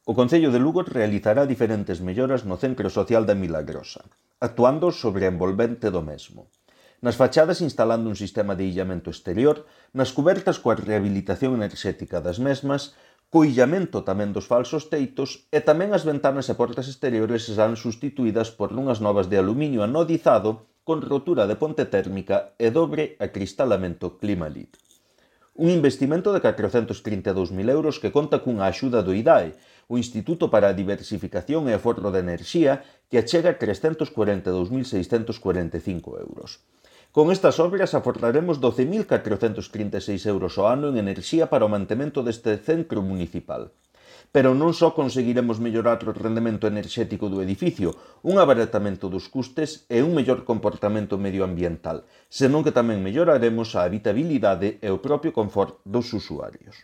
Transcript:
O Concello de Lugo realizará diferentes melloras no Centro Social da Milagrosa, actuando sobre a envolvente do mesmo. Nas fachadas instalando un sistema de illamento exterior, nas cubertas coa rehabilitación enerxética das mesmas, co illamento tamén dos falsos teitos e tamén as ventanas e portas exteriores serán sustituídas por unhas novas de aluminio anodizado con rotura de ponte térmica e dobre acristalamento Climalit. Un investimento de 432.000 euros que conta cunha axuda do IDAE, o Instituto para a Diversificación e Aforro de Enerxía, que achega 342.645 euros. Con estas obras aforraremos 12.436 euros ao ano en enerxía para o mantemento deste centro municipal. Pero non só conseguiremos mellorar o rendemento enerxético do edificio, un abaratamento dos custes e un mellor comportamento medioambiental, senón que tamén melloraremos a habitabilidade e o propio confort dos usuarios.